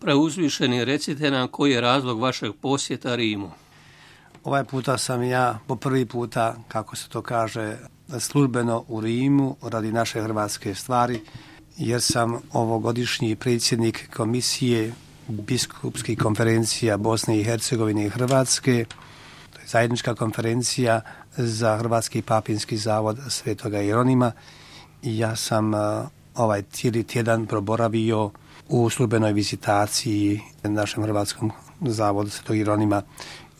Preuzvišeni, recite nam koji je razlog vašeg posjeta Rimu. Ovaj puta sam ja po prvi puta, kako se to kaže, službeno u Rimu radi naše hrvatske stvari, jer sam ovogodišnji predsjednik komisije biskupskih konferencija Bosne i Hercegovine i Hrvatske. To je zajednička konferencija za Hrvatski papinski zavod Svetoga Jeronima. I ja sam ovaj cijeli tjedan proboravio u službenoj vizitaciji našem Hrvatskom zavodu Svetog Jeronima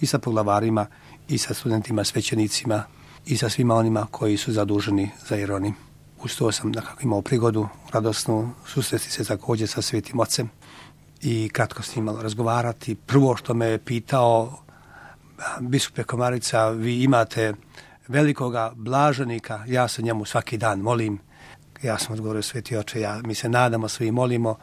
i sa poglavarima, i sa studentima, svećenicima, i sa svima onima koji su zaduženi za Jeronim. Uz to sam nekako imao prigodu radosnu susresti se također sa Svetim Ocem i kratko s njim malo razgovarati. Prvo što me je pitao, biskupe Komarica, vi imate velikoga blaženika, ja se njemu svaki dan molim. Ja sam odgovorio, Sveti Oče, mi se nadamo, svi molimo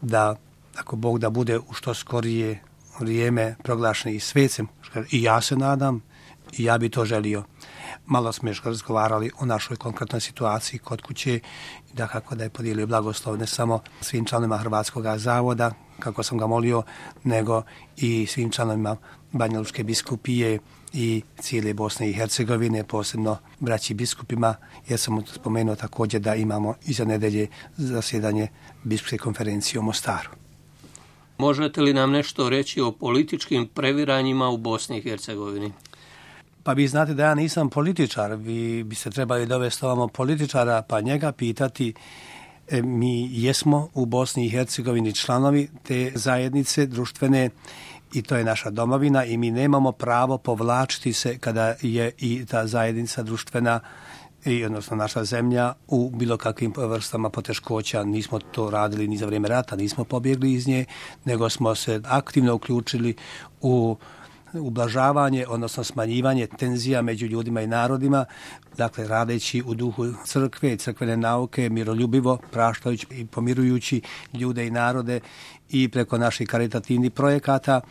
da, ako Bog da bude u što skorije vrijeme proglašeni i svecem, i ja se nadam, i ja bi to želio. Malo smo još razgovarali o našoj konkretnoj situaciji kod kuće, da kako da je podijelio blagoslov ne samo svim članovima Hrvatskog zavoda, kako sam ga molio, nego i svim članovima Banja Lučke biskupije i cijele Bosne i Hercegovine, posebno braći biskupima, jer sam spomenuo također da imamo iza nedelje zasjedanje biskupske konferencije u Mostaru. Možete li nam nešto reći o političkim previranjima u Bosni i Hercegovini? Pa vi znate da ja nisam političar, vi biste trebali dovesti ovamo političara pa njega pitati. Mi jesmo u Bosni i Hercegovini članovi te zajednice društvene i to je naša domovina i mi nemamo pravo povlačiti se kada je i ta zajednica društvena i odnosno naša zemlja u bilo kakvim vrstama poteškoća. Nismo to radili ni za vrijeme rata, nismo pobjegli iz nje, nego smo se aktivno uključili u ublažavanje, odnosno smanjivanje tenzija među ljudima i narodima, dakle radeći u duhu crkve i crkvene nauke, miroljubivo, praštajući i pomirujući ljude i narode i preko naših karitativnih projekata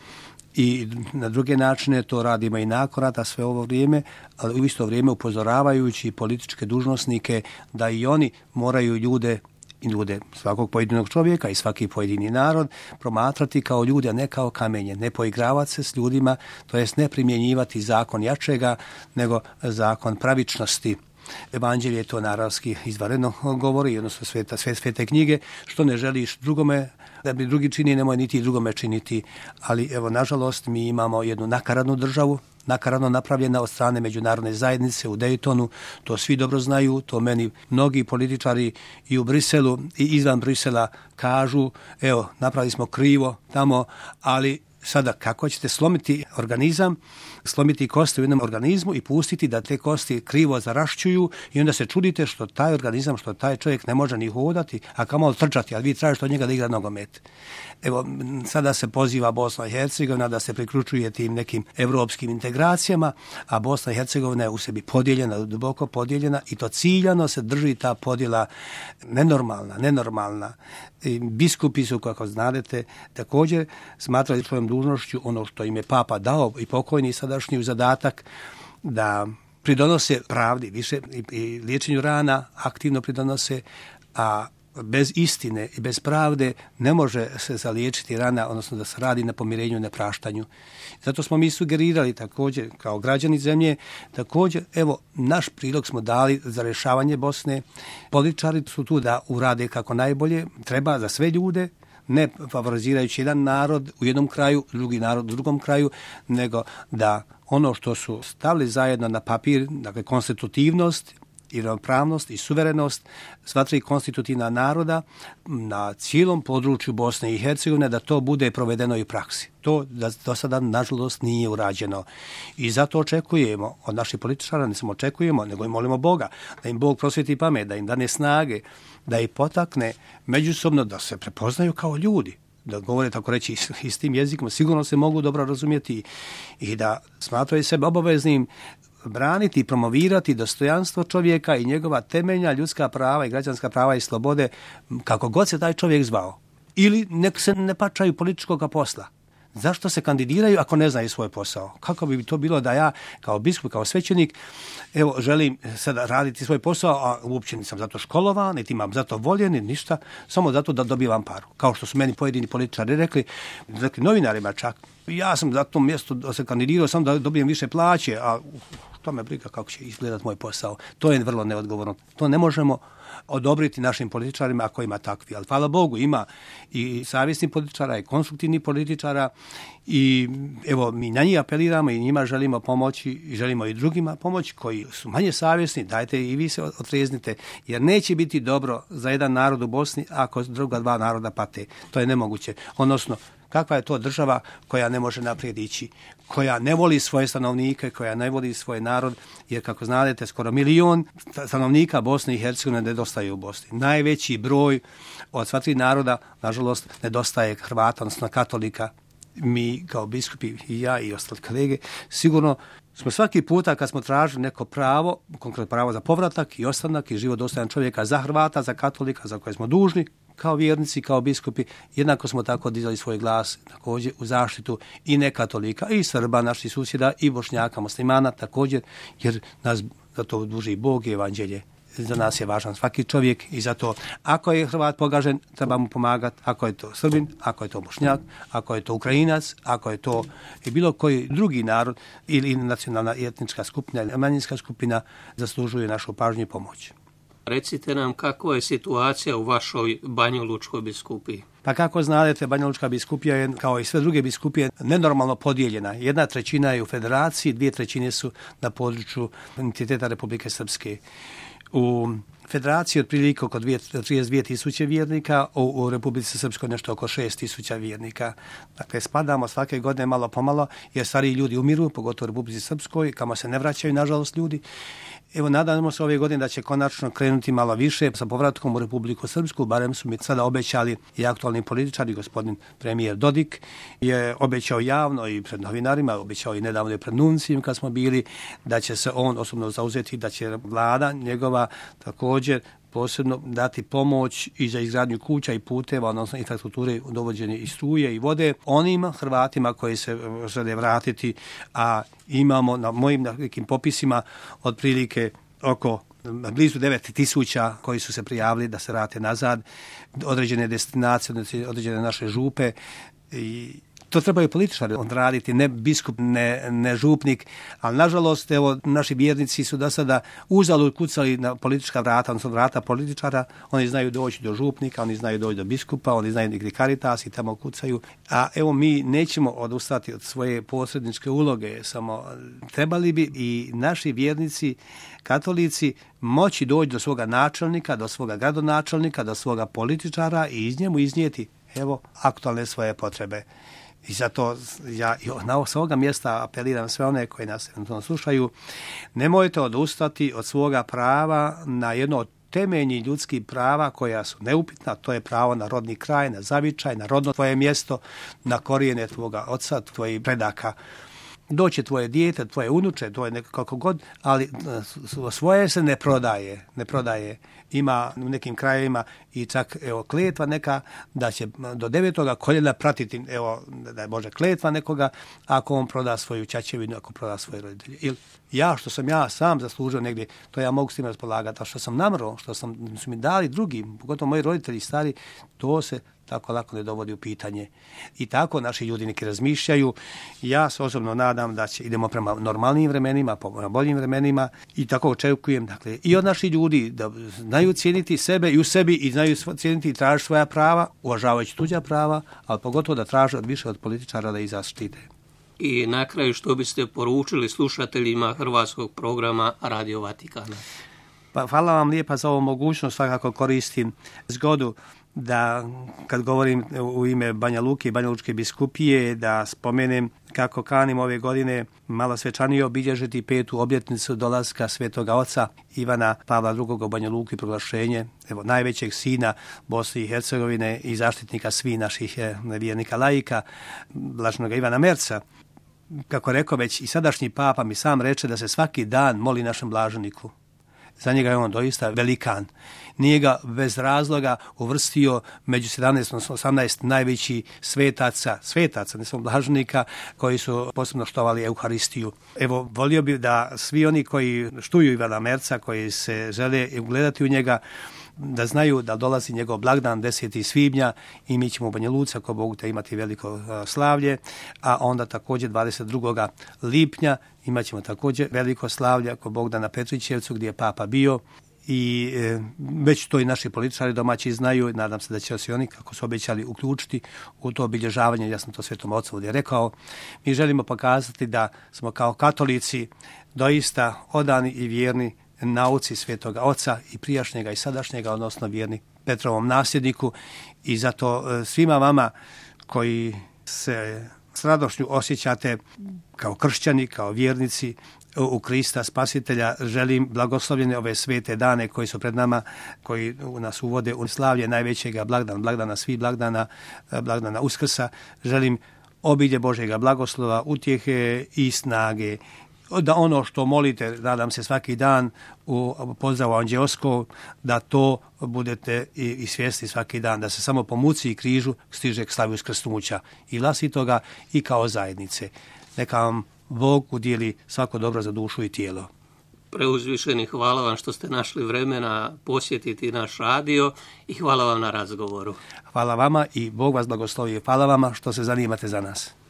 i na druge načine to radimo i nakon rata sve ovo vrijeme, ali u isto vrijeme upozoravajući političke dužnosnike da i oni moraju ljude svakog pojedinog čovjeka i svaki pojedini narod promatrati kao ljude, a ne kao kamenje, ne poigravati se s ljudima, to jest ne primjenjivati zakon jačega, nego zakon pravičnosti. Evanđelje to naravski izvanredno govori, odnosno svete knjige, što ne želiš drugome da bi drugi čini, nemoj niti drugome činiti. Ali evo, nažalost, mi imamo jednu nakaradnu državu, nakaradno napravljena od strane međunarodne zajednice u Daytonu, to svi dobro znaju, to meni mnogi političari i u Briselu i izvan Brisela kažu, evo, napravili smo krivo tamo, ali sada kako ćete slomiti organizam, slomiti kosti u jednom organizmu i pustiti da te kosti krivo zarašćuju i onda se čudite što taj organizam, što taj čovjek ne može ni hodati, a kamoli trčati, a vi tražite od njega da igra nogomet. Evo, sada se poziva Bosna i Hercegovina da se priključuje tim nekim evropskim integracijama, a Bosna i Hercegovina je u sebi podijeljena, duboko podijeljena i to ciljano se drži ta podjela nenormalna. I biskupi su, kako znadete, također smatrali svojom dužnošću ono što im je Papa dao i pokojni sadašnji zadatak da pridonose pravdi više i liječenju rana, aktivno pridonose, a bez istine i bez pravde ne može se zaliječiti rana, odnosno da se radi na pomirenju i nepraštanju. Zato smo mi sugerirali također kao građani zemlje, također evo naš prilog smo dali za rješavanje Bosne. Političari su tu da urade kako najbolje, treba za sve ljude, ne favorizirajući jedan narod u jednom kraju, drugi narod u drugom kraju, nego da ono što su stavili zajedno na papir, dakle konstitutivnost i ravnopravnost i suverenost sva tri konstitutivna naroda na cijelom području Bosne i Hercegovine, da to bude provedeno i u praksi. To do sada nažalost nije urađeno. I zato očekujemo od naših političara, ne samo očekujemo, nego i molimo Boga, da im Bog prosvjeti pamet, da im dane snage, da ih potakne međusobno da se prepoznaju kao ljudi, da govore tako reći istim jezikom, sigurno se mogu dobro razumjeti i da smatraju sebe obaveznim braniti i promovirati dostojanstvo čovjeka i njegova temeljna ljudska prava i građanska prava i slobode, kako god se taj čovjek zvao. Ili nek se ne pačaju političkog posla, Zašto se kandidiraju ako ne znaju svoj posao? Kako bi to bilo da ja kao biskup, kao svećenik, evo, želim sada raditi svoj posao, a uopće nisam zato školovan, niti imam zato volje, ni ništa, samo zato da dobivam paru. Kao što su meni pojedini političari rekli novinarima čak. Ja sam za to mjesto da se kandidirao samo da dobijem više plaće, a to me briga kako će izgledati moj posao. To je vrlo neodgovorno. To ne možemo odobriti našim političarima ako ima takvi. Ali hvala Bogu, ima i savjesnih političara i konstruktivnih političara i evo mi na njih apeliramo i njima želimo pomoći i želimo i drugima pomoći koji su manje savjesni. Dajte i vi se otreznite jer neće biti dobro za jedan narod u Bosni ako druga dva naroda pate. To je nemoguće. Odnosno, kakva je to država koja ne može naprijed ići, koja ne voli svoje stanovnike, koja ne voli svoj narod, jer kako znate, skoro 1 milion stanovnika Bosne i Hercegovine nedostaje u Bosni. Najveći broj od sva 3 naroda, nažalost, nedostaje Hrvata, odnosno katolika. Mi kao biskupi i ja i ostali kolege, sigurno smo svaki puta kad smo tražili neko pravo, konkretno pravo za povratak i ostanak i život dostojan čovjeka za Hrvata, za katolika, za koje smo dužni, kao vjernici, kao biskupi, jednako smo tako dizali svoj glas također u zaštitu i nekatolika, i Srba, naših susjeda, i Bošnjaka, muslimana također, jer nas za to duži Bog i evanđelje. Za nas je važan svaki čovjek i zato ako je Hrvat pogažen, treba mu pomagati, ako je to Srbin, ako je to Bošnjak, ako je to Ukrajinac, ako je to i bilo koji drugi narod ili nacionalna i etnička skupina ili manjinska skupina, zaslužuje našu pažnju i pomoć. Recite nam kako je situacija u vašoj Banjalučkoj biskupiji. Pa kako znate, Banjalučka biskupija je, kao i sve druge biskupije, nenormalno podijeljena. 1/3 je u federaciji, 2/3 su na području entiteta Republike Srpske. U federaciji otprilike oko 32.000 vjernika, u Republici Srpskoj nešto oko 6.000 vjernika. Dakle, spadamo svake godine malo pomalo, jer stariji ljudi umiru, pogotovo u Republici Srpskoj, kamo se ne vraćaju, nažalost, ljudi. Evo, nadamo se ove godine da će konačno krenuti malo više sa povratkom u Republiku Srpsku, barem su mi sada obećali i aktualni političari, gospodin premijer Dodik je obećao javno i pred novinarima, obećao i nedavno i pred nuncijem kad smo bili, da će se on osobno zauzeti, da će vlada njegova također posebno dati pomoć i za izgradnju kuća i puteva, odnosno infrastrukture, dovođenje i struje i vode onim Hrvatima koji se žele vratiti, a imamo na mojim nekim popisima otprilike oko blizu 9.000 koji su se prijavili da se vrate nazad, određene destinacije, određene naše župe i to trebaju političari odraditi, ne biskup, ne župnik, ali nažalost, evo, naši vjernici su do sada uzalud kucali na politička vrata, odnosno vrata političara, oni znaju doći do župnika, oni znaju doći do biskupa, oni znaju gdje Caritas i tamo kucaju, a evo mi nećemo odustati od svoje posredničke uloge, samo trebali bi i naši vjernici, katolici, moći doći do svoga načelnika, do svoga gradonačelnika, do svoga političara i iz njemu iznijeti, evo, aktualne svoje potrebe. I zato ja s ovoga mjesta apeliram sve one koji nas slušaju, nemojte odustati od svoga prava na jedno od temeljnih ljudskih prava koja su neupitna, to je pravo na rodni kraj, na zavičaj, na rodno tvoje mjesto, na korijene tvoga oca, tvojih predaka. Doće tvoje dijete, tvoje unuče, tvoje nekako god, ali svoje se ne prodaje. Ima u nekim krajevima i čak evo kletva neka da će do 9. koljena pratiti, evo da je Bože kletva nekoga ako on proda svoju ćaćevinu, ako proda svoje roditelje. Ili što sam ja sam zaslužio negdje, to ja mogu s tim raspolagati, a što sam namro, što su mi dali drugi, pogotovo moji roditelji stari, to se tako lako ne dovodi u pitanje. I tako naši ljudi neki razmišljaju. Ja se osobno nadam da idemo prema normalnim vremenima, prema boljim vremenima i tako očekujem, dakle, i od naših ljudi da znaju cijeniti sebe i u sebi i znaju cijeniti i tražiti svoja prava, uvažavajući tuđa prava, ali pogotovo da traže više od političara da ih zaštite. I na kraju što biste poručili slušateljima hrvatskog programa Radio Vatikana? Pa hvala vam lijepa za ovu mogućnost, svakako koristim zgodu da kad govorim u ime Banja Luke i Banjalučke biskupije da spomenem kako kanim ove godine malo svečanije obilježiti 5. obljetnicu dolaska Svetoga Oca Ivana Pavla II. U Banja Luku i proglašenje najvećeg sina Bosne i Hercegovine i zaštitnika svih naših vjernika laika, blaženog Ivana Merca. Kako rekao već i sadašnji papa mi sam reče da se svaki dan moli našem blaženiku. Za njega je on doista velikan. Nije ga bez razloga uvrstio među 17, 18 najvećih svetaca, ne samo blaženika, koji su posebno štovali Euharistiju. Evo, volio bih da svi oni koji štuju Ivana Merca, koji se žele ugledati u njega, da znaju da dolazi njegov blagdan 10. svibnja i mi ćemo u Banja Luci, ako Bog te, imati veliko slavlje, a onda također 22. lipnja imat ćemo također veliko slavlje, ako Bog da, na Petrićevcu gdje je Papa bio. I već to i naši političari domaći znaju, nadam se da će se oni, kako su obećali, uključiti u to obilježavanje. Ja sam to Svetom Ocu ovdje rekao. Mi želimo pokazati da smo kao katolici doista odani i vjerni nauci Svetoga Oca, i prijašnjega i sadašnjega, odnosno vjerni Petrovom nasljedniku, i zato svima vama koji se s radošću osjećate kao kršćani, kao vjernici u Krista Spasitelja, želim blagoslovljene ove svete dane koji su pred nama, koji nas uvode u slavlje najvećega blagdana svih blagdana, blagdana Uskrsa. Želim obilje Božjega blagoslova, utjehe i snage, da ono što molite, nadam se, svaki dan u pozdravu anđeoskom, da to budete i svjesni svaki dan, da se samo po muci i križu stiže k slavi uskrsnuća i vlastitoga i kao zajednice. Neka vam Bog udijeli svako dobro za dušu i tijelo. Preuzvišeni, hvala vam što ste našli vremena posjetiti naš radio i hvala vam na razgovoru. Hvala vama i Bog vas blagoslovi. Hvala vama što se zanimate za nas.